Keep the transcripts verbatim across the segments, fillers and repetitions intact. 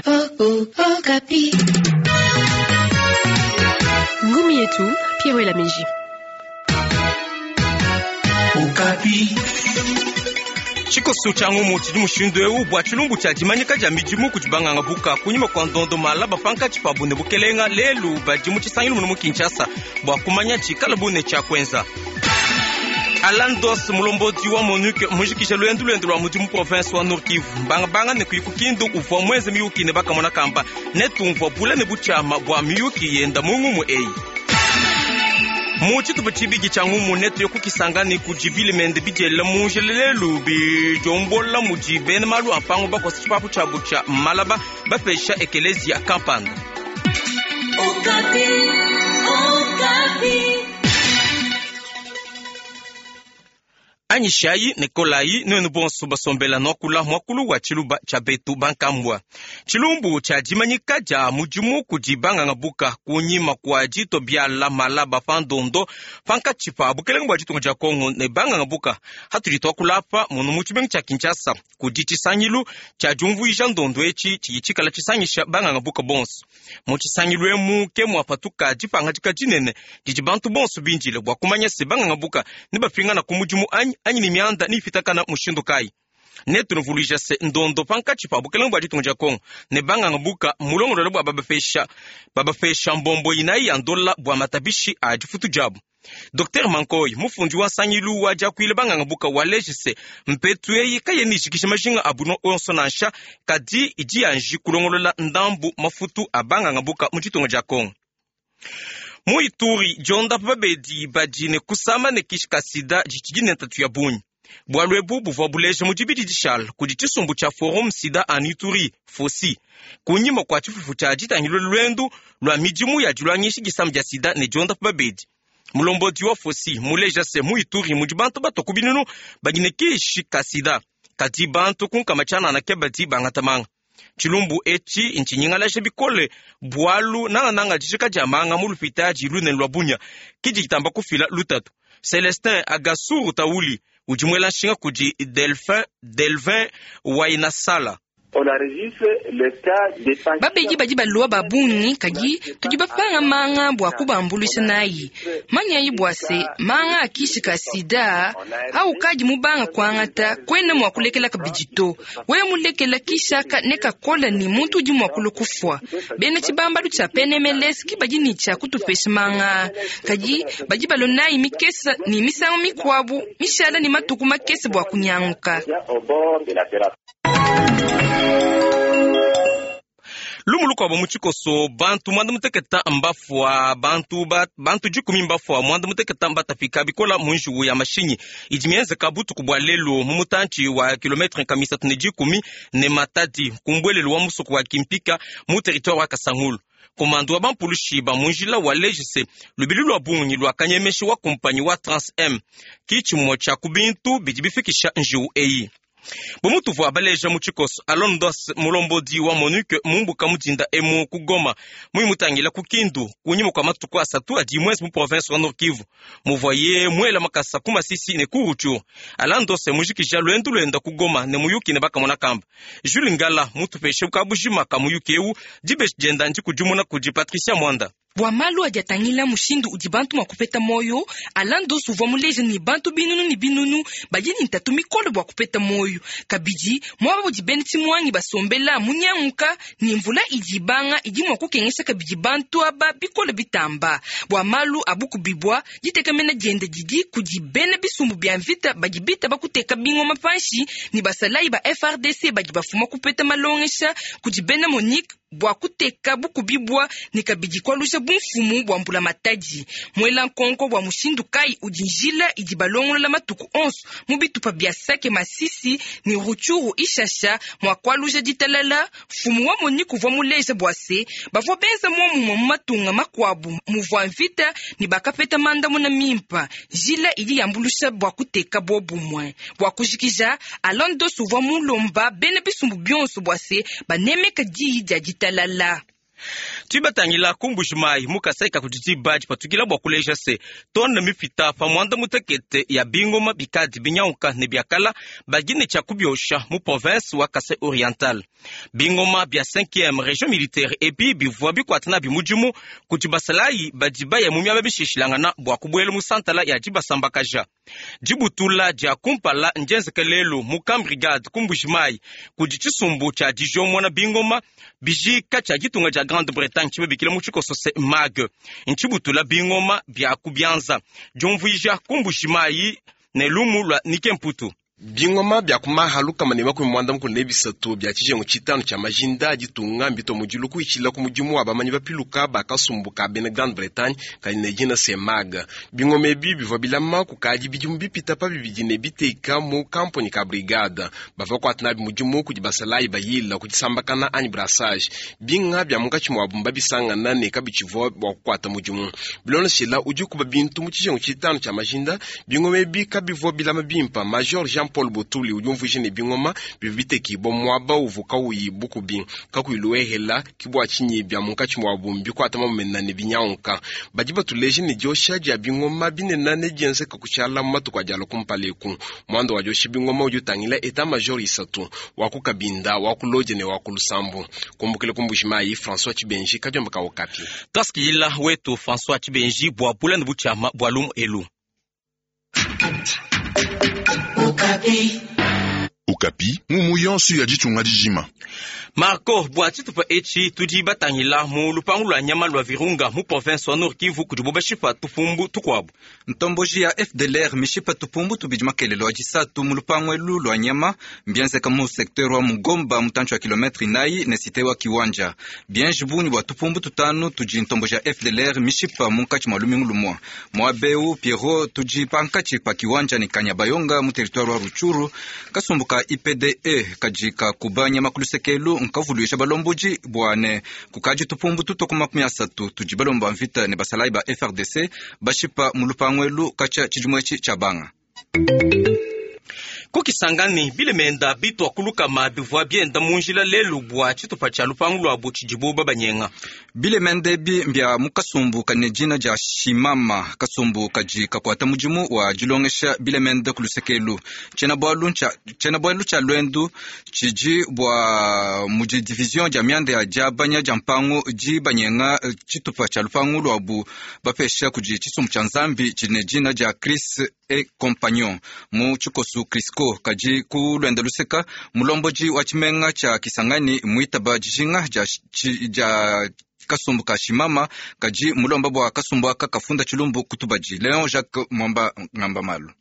Okapi. Ngumi yetu Pierre Elameji. Okapi. Tshikoso tshia ngumu tshidi mushindu eu bua tshilumbu tshia dimanyika dia midimu kudi banganga buka kunyima kua ndondo malaba pankatshi pa bune bukelenga lelu badi mu tshisangilu munu mu Kinshasa bua kumanya tshikala bune tshia kuenza. Alain Dos mulombodi wa MONUC mujikije luendu luende lua mudimu province wa Nord Kivu mbangabanga ne kuyi ku Kindu uvua muenze miyuki ne bakamona kamba ne tumvua bule ne butshiama bua miyuki yenda mu ngumu eyi. Mu tshitupa tshibidi tshia ngumu netu yo kukisangani kudi bilimende bidiela mu njelelelu bidiombola mudi bena malu a mpangu bakosa tshipapu tshiabu tshia malaba bapesha ekelezia kampanda. Okapi. Okapi. Anyishayi ne kolayi nuenu bonso basombela nuakula muakulu wa tshiluba tshia betu bankambua. Tshilumbu tshia dimanyika dia mudimu kudi banganga buka kunyima kua dito biala malaba pa ndondo pankatshi pa bukelenge bua ditunga dia Kongo ne banganga buka. Hatudi tuakula apa munu mu tshimenga tshia Kinshasa kudi tshisangilu tshia diumvuija ndondo etshi tshidi tshikala tshisangisha banganga buka bonso. Mu tshisangilu emu ke muapatuka dipangadika dinene didi bantu bonso bindile bua kumanya se banganga buka ne bapingana ku mudimu anyi anyi ni mianda ni ipitakana mushindu kayi. Ne tunuvuluija se ndondo pankatshi pa bukelenge bua ditunga dia Kongo ne banganga buka mulongololo bua babapesha, babapesha mbombo inayi ya ndola bua matabishi a difutu diabu. Docteur Mankoy mufundi wa nsangilu wa diakuile banganga buka wa lejise mpetu eyi kayena ijikija majinga abu no onso nansha kadi idi yanji kulongolola ndambu mafutu a banganga buka mu ditunga dia Kongo. Mu Ituri diondapa babedi badi ne kusama ne kishi ka sida ditshidi ne ntatu ya bungi. Bualu ebu buvua buleja mu dibidi dishala kudi tshisumbu tshia Forum Sida en Ituri Fosi kunyima kua tshifufu tshia ditangilo luendu lua midimu ya diluangisha disama dia sida ne diondapa babedi. Mulombodi wa Fosi muleja se mu Ituri mudi bantu batua ku binunu badi ne kishi ka sida kadi bantu kunkama tshianana ke badi bangata manga. Tshilumbu etshi ntshinyingalaja bikole bualu nangananga dijika dia manga mu lupitadi lunene lua Bunia kidi ditamba kufila lutatu. Celestin Agasuru Tauli udi muela nshinga kudi Delphin, Delvin Wainasala. Babedi badi balua ba bungi kadi tudi bapanga manga bua kubambuluisha nayi. Manyayi bua se manga akishi ka sida au kadi mubanga kuangata kwena mua kulekela kabidi to. Wewe mulekela kishaka ne kakola ni muntu udi mua kulua kufua. Bena tshibambalu tshia P N M L S ki badi ni tshia kutupesha manga. Kadi badi balua nayi mikesa ni misangu mikuabu mishala ni matuku makese bua kunyanguka. Lumu lukuabu mu tshikoso bantu mwanda muteketa mbafua bantu ba, bantu dikumi mbafua mwanda muteketa mbatapika bikola mu njuwu ya mashinyi idi mienzeka butuku bua lelu mu mutantshi wa kilometre nkamisatu ne dikumi ne Matadi ku mbuelelu wa musoko wa Kimpika mu territoire wa Kasangulu. Komando wa bampulushi ba mu njila wa lejise lubili lua bungi lua kanyemeshi wa kumpanyi wa Trans M ki tshimue tshia ku bintu bidi bifikisha njiwu eyi. Bomutu baleja mu tshikoso Alain Dos mulombodi wa MONUC mumbuka mudinda emu ku Goma muimutangila ku Kindu kunyima kua matuku asatu adi mwezi mu province wa Nord Kivu muvoye muela makasa ku Masisi ne ku Rutshuru. Alain Dos mujikija luendu luenda ku Goma ne muyuki ne bakamona kamba. Jules Ngala mutupeshe kabujima ka muyuki eu dibeji dienda ndikudimuna kudi Patricia Mwanda. Bua malu adi atangila mushindu udi bantu mua kupeta moyo, Alain Dos uvua muleja ni bantu binunu ni binunu badi ni ntatu mikole bua kupeta moyo. Kabidi muaba udi bena tshimuangi basombela munyanguka ni mvula idi ibanga idi mua kukengesha kabidi bantu aba bikole bitamba. Bua malu abukubibwa ditekemena diende didi kudi bena bisumbu bia mvita badi bita bakuteka bingoma panshi ni basalayi ba F R D C badi bafuma kupeta malongesha kudi bena MONUC bua kuteka bukubibwa ni kabidi kualusha bumfumu bua mbula matadi. Mwela nkonko bua mushindu kai udi njila idi balongolola matuku onso mu bitupa bia Sake Masisi ni Rutshuru Ishasha mua kualusha ditalala. Mfumu wa MONUC uvua muleja bua se bavua benza muomumue mu matunga makuabu muvua mvita ni bakapeta mandamuna mimpa. Njila idi yambulusha bua kuteka bobumwe. Bua kujikija Alain Dos uvua mulomba bena bisumbu bionso bua se banemeka diyi dia ditalala. Tuibatangila ku Mbujimayi mu Kasai ka kudi diba dipatukila bua kuleja se tone mipita pa muanda mutekete ya bingoma bikadi binyauka ne biakala badi ne tshia kubiosha mu province wa Kasai Oriental. Bingoma bia cinquième région militaire ebi bivua bikuata nabi mudimu kudi basalayi badi baya mu miaba mishilashilangana bua kubuela mu santala ya dibasambakaja. Dibutula dia kumpala ndienzeke lelu mu camp brigade ku Mbujimayi kudi tshisumbu tshia dijomona bingoma bijika tshia ditunga dia Grande-Bretagne tshibabikila mu tshikoso se M A G ntshibutula bingoma bia ku bianza diumvuija ku Mbujimayi ne lumu lua Nike Mputu. Bingoma bya kumaha lukama ne makumi mwanda mukulu ne bisatu bya tshijengu tshitanu tshia majinda a ditunga mbito mudilu kuitshila ku mudimu wa bamanyi bapiluka bakasumbu ka bena Grande-Bretagne kadi ne dina semag. Bingoma ebi bivua bilama kukadi bidimu bipita pa bibidi ne biteka mu kamponi ka brigade bavua kuata nabi mudimu kudi basalayi bayila ku disambakana anyi brassage. Binga bya munkatshi muabu mbabisangana ne kabitshivua bua kukuata mudimu. Biloneshela udi kuba bintu mu tshijengu tshitanu tshia majinda, bingoma ebi kabivua bilama bimpa. Major Jean Paul Botuli udi umvuija ne bingoma bivua bitekibua muaba uvua kauyi bukubi kakuyi luehela kibua tshinyi bya munkatshi muabu mbikuata mamumena ne binyanguka. Badi batuleja ne diosha dia bingoma binene ne dienzeka kutshiala mu matuku adi alua kumpala eku. Muanda wa diosha bingoma udi utangila état major isatu, wa ku Kabinda, wa ku Lodja ne wa ku Lusambo. Kumbukila ku Mbujimayi, François Tshibenji, kadiomba ka Okapi. Tuasikilila wetu François Tshibenji bua bula ne butshiama bua lumu elu. Okapi. Okapi, ngumu yonso ya ditunga dijima. Marco, bua tshitupa etshi tudi batangila mu lupangu lua nyama lua Virunga mu province wa Nord Kivu kudibo bashipa tupumbu tukuabu. Ntomboji ya F D L R mishipa tupumbu tubidi makelelo adisatu mu lupangu elu lua nyama mbienzeka mu secteur wa Mugomba mutantshi wa kilometre inayi ne cité wa Kiwanja. Bienji bungi bua tupumbu tutanu tudi ntomboji ya F D L R mishipa munkatshi mua lumingu lumua. Muabeu Pierrot tudi pankatshi pa Kiwanja ne Kanyabayonga mu territoire wa Rutshuru. Kasumbu ka I P D E kadi kakuba nyama ku lusekelu nkavuluisha balomboji bua ne kukaji tupumbu tutwa ku makumi asatu tudi balomba mvita ne basalayi ba F A R D C bashipa mu lupangu elu katshia tshidimu etshi tshia banga. Kukisangani bilemenda bitwa kulukama bivua bienda mu njila lelu bua tshitupa tshia lupangu luabu tshidibu babanyenga. Bilemende ebi mbia mu kasumbu kane dina dia Shimama, kasumbu kadi kakuata mudimu wa dilongesha bilemende ku lusekelu. Tshiena-bualu tshia luendu tshidi bua mudi division dia mianda ya diabanya dia mpangu dibanyenga tshitupa tshia lupangu luabu bapesha kudi tshisumbu tshia Nzambi tshine dina dia Chris et Compagnon mu tshikosu Crisco. Kadi ku luenda luseka mulombodi wa tshimenga tshia Kisangani muitaba dijinga dia, dia kasumbu ka Shimama, kadi mulomba bua kasumbu aka kafunda tshilumbu kutubadi. Leon Jacques Mwamba ngamba malu.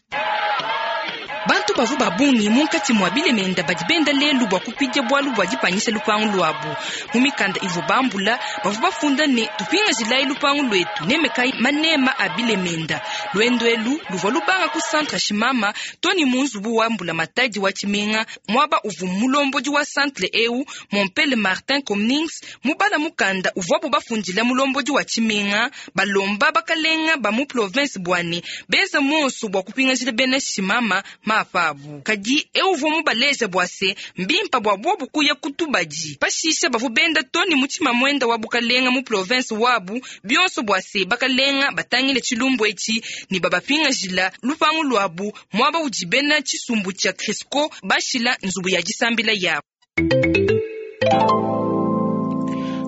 Bantu bavua ba bungi munkatshi mua bilemenda badi benda lelu bua kupidia bualu bua dipanyisha lupangu luabu. Mu mikanda ivua bambula bavua bafunda ne tupingajilayi lupangu luetu nemekai manema a bilemenda. Luendu elu luvua lubanga ku centre Shimama toni mu nzubu wa mbula matadi wa tshimenga, muaba uvua mulombodi wa centre eu Mompele Martin Comnings mubala mukanda uvuabu bafundila mulombodi wa tshimenga balomba bakalenga ba mu province bua ne benza monso bua kupingajila bena Shimama mapa abu. Kadi eu mubaleja bua se mbimpa bua bobu kuya kutubadi. Pashishe bavua benda toni mutima mwenda wa bukalenga mu province wabu bionso bua se bakalenga batangile tshilumbu etshi ne babapingajila lupangu luabu muaba udi bena tshisumbu tshia Crisco bashila nzubu ya disambila yabu.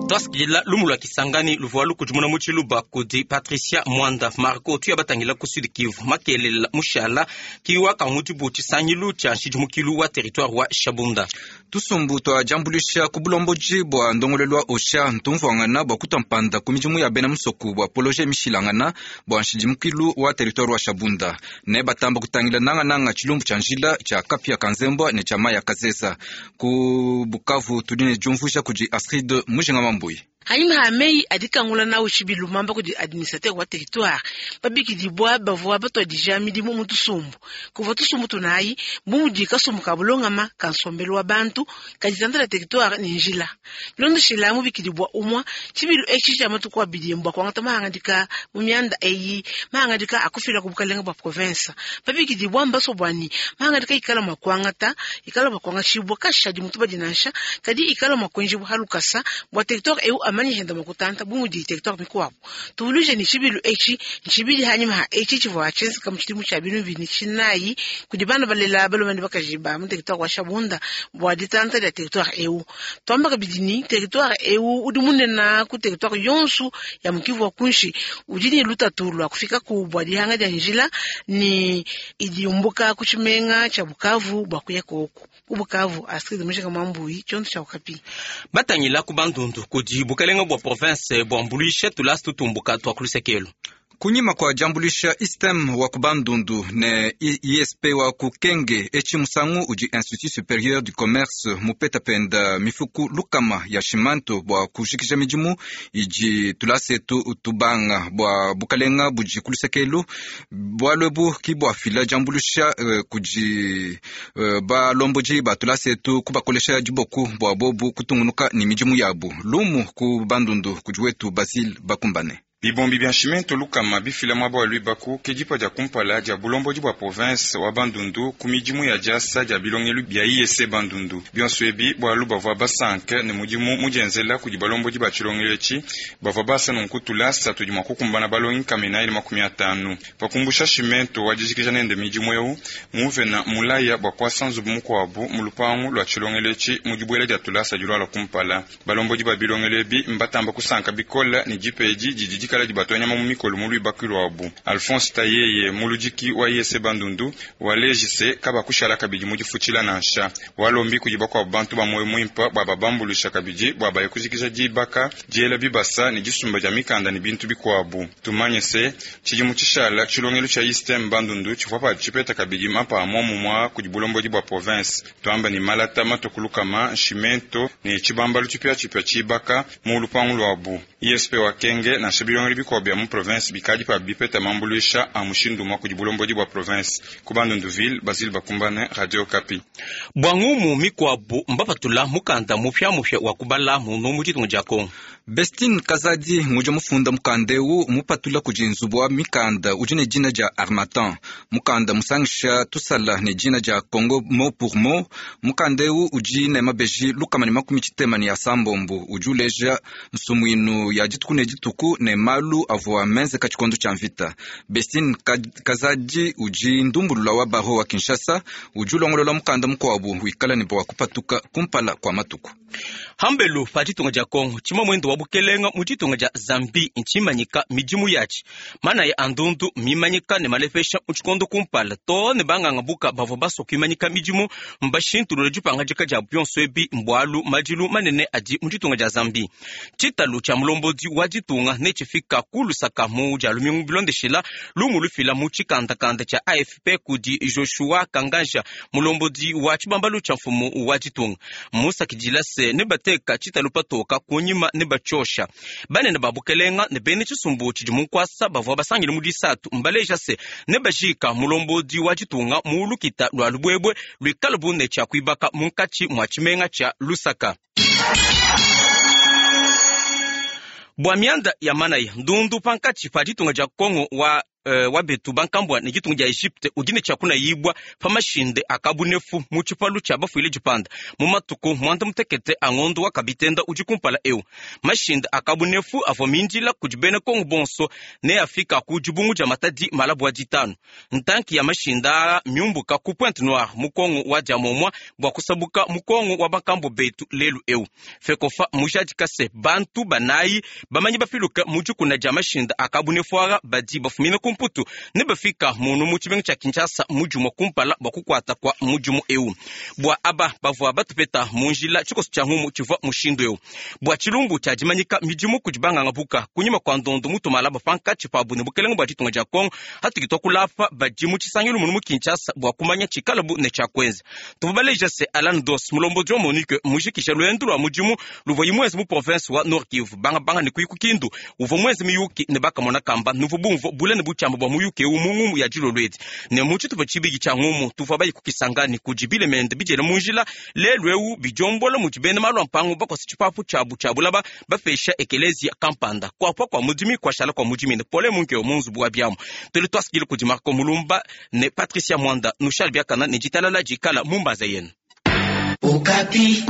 Twasikilila lumu lua Kisangani luvua lukudimuna mu tshiluba kudi Patricia Mwanda. Marco, tuya batangila ku Sud Kivu makelela mushala kiwa kangudibu tshisangilu tshia nshidimukilu wa territoire wa Shabunda. Tusumbu twa diambuluisha ku bulomboji bua ndongoluelu wa OCHA ntumvuangana bua kutua mpanda ku midimu ya bena musoku bua projet mishilangana bua nshidimukilu wa territoire wa Shabunda ne batamba kutangila nangananga tshilumbu tshia njila, tshia kapia kanzembwa ne tshia mai ya kazeza. Ku Bukavu tudi ne diumvuija kudi Astrid Mujinga Mambui. Hanyuma ha meyi adikangula nawu tshibilu mamba kudi administrateur wa territoire, babikidibwa bavua batuadija midimu mu tusumbu. Kuvua tusumbu tunayi bu mudi kasumbu ka bulongama ka nsombelu wa bantu kaditanda la territoire ne njila bilondoshila mubikidibwa umwa. Tshibilu etshi tshia matuku abidi mbua kuangata mahangadika mu mianda eyi, mahangadika akufila ku bukalenga bua province. Babikidibwa mbaso bwani mahangadika ikala mua kuangata ikala mua kuangatshibwa kashadi mutu badi nansha kadi ikala mua kuenjibwa halukasa bua territoire eu. Amanye henda mukutanta bumudi territoire mikuabu. Tuvuluje ni chibilu echi nchibili hanyuma ha echi chivwa chenzeka muchidimu cha binu bini chinayi kudi bana balela balomani bakajiba mu territoire wa Shabunda bwa ditanta dia territoire eu. Twamba kabidini territoire eu udi munena ku territoire yonsu ya mukivu wa kunshi udi ni lutatu lwa kufika ku bwa dihanga dia njila ni idiumbuka kuchimenga cha Bukavu bwa kuya koku. Ku Bukavu Astrid Mujika Mambuyi chonto cha Okapi. Batangila ku Bandundu kudi bukalenga bwa province bwambulisha tulasi tutumbuka twa kulusekelo. Kunyima kwa jambulisha istem wa kubandundu ne I S P wa kukenge echi musangu uji Institut Supérieur du Commerce mupeta penda mifuku lukama ya shimanto bwa kushikisha mijimu iji tulasetu tubanga bwa bukalenga buji kulusekelu bwalwebu kibwa fila jambulisha uh, kuji uh, balomboji ba tulasetu kubakolesha jiboku bwa bobu kutungunuka ni mijimu yabu lumu ku bandundu kujiwetu Basile Bakumbane. Bibombi bya nshimento lukama bifila mwaba wa lwibaku ke dipa dia kumpala dia bulomboji bwa province wa Bandundu ku midimu ya diasa dia bilongelu bya I S Bandundu. Bionso ebi bwalu bavua basanke ne mudimu mudienzela kudi balomboji ba tshilongelu etshi bavua basa nunku tulasa tudi mua kukumbana balongi kamena ili makumi atanu. Pakumbusha shimento wa dijikija nende midimu eu muvena mulaya bwa kuasa nzubu mukuabu mu lupangu lua tshilongelu etshi mu dibuela dia tulasa dilua lua kumpala. Balomboji ba bilongelu ebi mbatamba kusanka bikola ne dipa edi didi kala di batwanya mu mikolo mu lwibaku lwabu. Alphonse Tayeye muludiki wa I S Bandundu walejise kaba kushala kabidi mu difutshila nansha walombi kudi bakwabu bantu ba moyo muimpa bwa babambulusha kabidi bwa baye kujikija dibaka diela bibasa ne disumba dia mikanda ne bintu bikuabu. Tumanye se tshidimu tshishala tshilongelu tshia Istem Bandundu tshivua pa tshipeta kabidi mapa a momumwa kudi bulombodi bwa province. Twamba ni malata matokulukama nshimento ne tshibambalu tshipia tshipia tshibaka mu lupangu lwabu. I S P wa Kenge nansha bilongelu bikuabu bya mu province bikadi pa bipeta mambuluisha a mushindu mwa kudi bulombodi bwa province. Ku Bandunduville, Basile Bakumbane, Radio Okapi. Bwa ngumu mikwabu mbapatula mukanda mupya mupya wa kubala munu mu ditunga dia Kongo. Bestine Kazadi nguja mufunda mukanda eu mupatula kudi nzubu wa mikanda udi ne dina dia Harmattan. Mukanda musangisha tusala ne dina dia Congo mot pour mot. Mukanda eu udi ne mabeji lukama ne makumi tshitema ne asambombo udi uleja nsumuinu ya dituku ne dituku ne malu avua menzeka tshikondo tshia mvita. Bestine Kazadi udi ndumbulula wa baro wa Kinshasa udi ulongolola mukanda mukuabu wikala ne bua kupatuka kumpala kwa matuku. Hambelu pa ditunga dia Kongo tshima mwendo wa bukelenga mu ditunga dia Zambi ntshimanyika midimu yatshi mana ya andundu mimanyika ne malefesha mu tshikondo kumpala to ne banganga buka bavua basua kuimanyika midimu mbashintulula dipangadika dia bionso ebi mbwalu madilu manene adi mu ditunga dia Zambi. Tshitalu tshia mulombodi wa ditunga ne tshifika ku Lusaka mu dia lumingu bilondeshela lumu lufila mu tshikandakanda tshia A F P kudi Joshua Kanganja mulombodi wa tshibambalu tshia mfumu wa ditunga. Musakidila se ne bateka tshitalu patoka kunyima ne bachosha banene ba bukelenga ne bene tshisumbu tshidi munkwasa bavua basangile mu disatu mbaleja se ne bajika mulombodi wa ditunga mu lukita lwa lubwebwe lwikala bune tshia kuibaka munkatshi mwa tshimenga tshia Lusaka. Bwa mianda ya manaya ndundu pankatshi pa ditunga dia Kongo wa Uh, wa betu bankambwa ne ditunga dia Egypte udi ne tshia kunayibwa pa mashinde akabunefu mu tshipalu tshia bafuile dipanda mu matuku mwanda mutekete a ngondo wa kabitenda udi kumpala eu. Mashinde akabunefu avua mindila kudi bena Kongo bonso ne afika ku dibungu dia Matadi malabwa ditanu. Ntanki ya mashinde aa miumbuka ku Pointe Noire mu Kongo wa dia momwa bua kusabuka mu Kongo wa bankambo betu lelu eu. Fekofa mujadika se bantu banayi bamanyi bafiluka mu dikuna dia mashinde akabunefu aa badi bafumina ku Mputu ne bafika munu mu tshimenga tshia Kinshasa mudimu kumpala bua kukuata kwa mudimu eu. Bua aba bavua batupeta mu njila tshikoso tshia ngumu tshivua mushindu eu. Bua tshilumbu tshia dimanyika midimu kudi banganga buka kunyima kwa ndondo mutumala bapankatshi pabu ne bukelenga bua ditunga dia Kongo hatukitwa kulapa badi mu tshisangilu munu mu Kinshasa bua kumanya tshikalabu ne tshia kuenza. Tuvua baleja se Alan Dos mulombodi wa Monique mujikisha luendu lua mudimu luvua imwezi mu province wa Nord Kivu banga banga ne kuyiku Kindu uvua mwezi miyuki ne bakamona kamba nuvu bumvu bule ne butshiamba bua muyuki eu mu ngumu ya dilolo edi. Ne mu tshitupa tshibidi tshia ngumu tuvua bayi kukisangani kudi bilemende bidiela mu njila lelu eu bidiombola mudi bena malu a mpangu bakosa tshipapu tshiabu tshia bulaba bapesha ekelezia kampanda kuapua kua mudimi kuashala kua mudimi ne pole munkeo mu nzubu wa biamu. Tuli tuasikile kudi Marco Mulumba ne Patricia Mwanda nushal biakana ne ditalala dikala mu mbanza yenu. Okapi.